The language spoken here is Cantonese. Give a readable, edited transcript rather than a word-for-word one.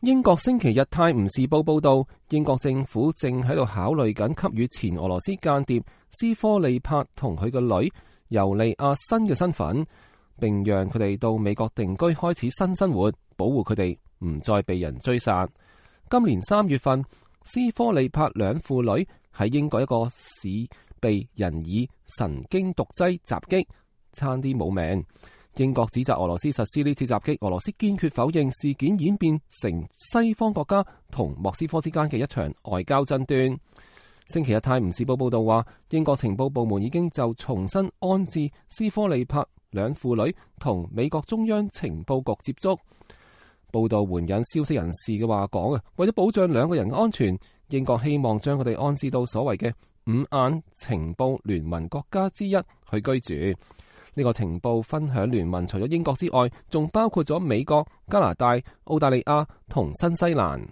英國星期日《泰晤士報》報道，英國政府正喺度考慮緊給予前俄羅斯間諜斯科利帕同佢個女尤利亞新嘅身份，並讓佢哋到美國定居，開始新生活，保護佢哋唔再被人追殺。今年3月份，斯科利帕兩父女喺英國一個市被人以神經毒劑襲擊，差啲冇命。英國指責俄羅斯實施呢次襲擊，俄羅斯堅決否認，事件演變成西方國家同莫斯科之間嘅一場外交爭端。星期日《泰晤士報》報道話，英國情報部門已經就重新安置斯科利帕兩父女同美國中央情報局接觸。報道援引消息人士嘅話講啊，為咗保障兩個人嘅安全，英國希望將佢哋安置到所謂嘅五眼情報聯盟國家之一去居住。呢個情報分享聯盟除咗英國之外，仲包括咗美國、加拿大、澳大利亞同新西蘭。